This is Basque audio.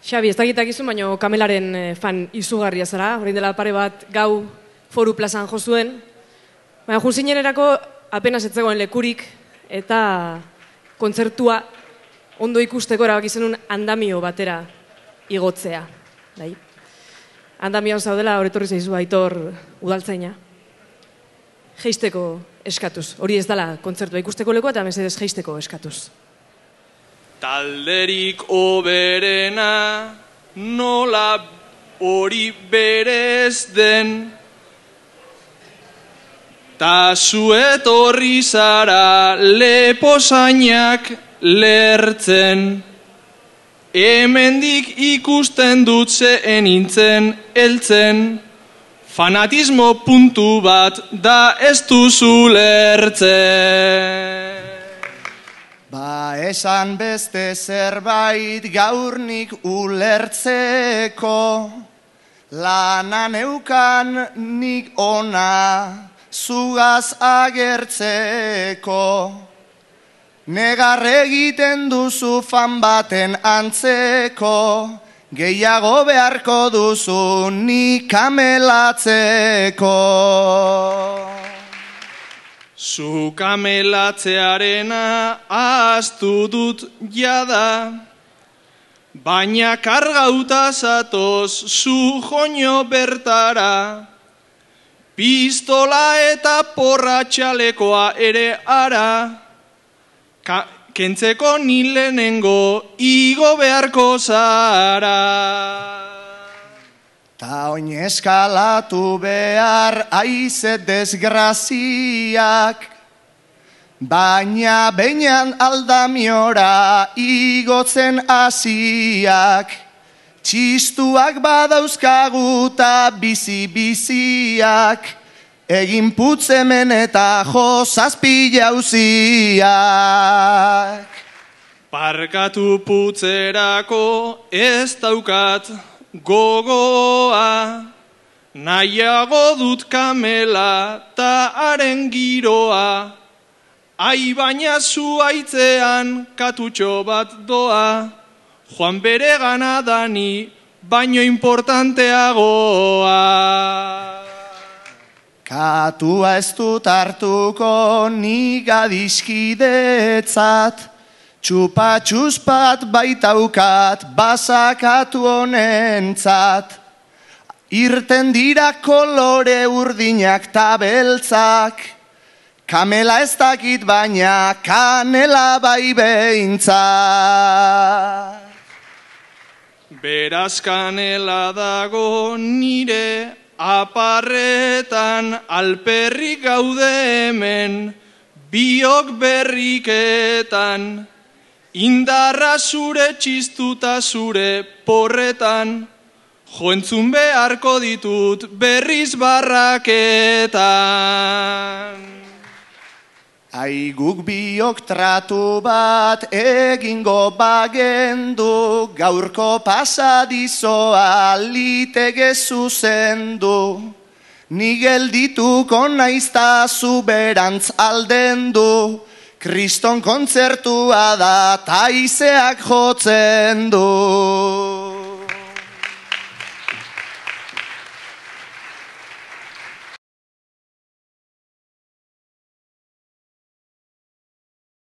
Xabi, ez dakitakizu, baina Kamelaren fan izugarria zara. Orain dela pare bat gau Foru plazan jo zuen. Baina junzinenerako apenas ez zegoen lekurik eta kontzertua ondo ikusteko erabaki zenun andamio batera igotzea. Bai. Andamioan zaudela, horretorri zaizu Aitor udaltzaina. Jeisteko eskatuz. Hori ez dela kontzertua ikusteko lekoa eta mesedez jeisteko eskatuz. Talderik oberena nola hori berez den, ta zuet horri zara leposainak lertzen, hemendik ikusten dut zeen nintzen eltzen, fanatismo puntu bat da ez duzu lertzen. Ba esan beste zerbait gaurnik ulertzeko, lana neukan nik ona zugaz agertzeko. Negar egiten duzu fan baten antzeko, gehiago beharko duzu nik kamelatzeko. Zu kamelatzearena ahaztu dut jada, baina kargauta zatoz zu joño bertara, pistola eta porra txalekoa ere ara, kentzeko ni lehenengo igo beharko zara. Ta oin eskalatu behar aize desgraziak, baina beinan aldamiora igotzen hasiak. Txistuak badauzkaguta bizi-biziak, egin putzemen eta jozazpi jauziak. Parkatu putzerako ez daukat gogoa, nahiago dut kamela ta haren giroa, ai baina zuaitzean katutxo bat doa, joan bere gana dani baino importanteagoa. Katua ez dut hartuko nik adiskidetzat, txupa-txuzpat baitaukat basakatu honentzat. Irten dira kolore urdinak ta beltzak, kamela ez dakit baina kanela bai behintzat. Beraz kanela dago nire aparretan, alperrik gaude hemen biok berriketan, indarra zure txistuta zure porretan, joentzun beharko ditut berriz barraketan. Ai guk biok tratu bat egingo bagendu, gaurko pasadizoa liteke zuzendu. Ni geldituko naizta zuberantz aldendu, kriston kontzertua da taizeak jotzen du.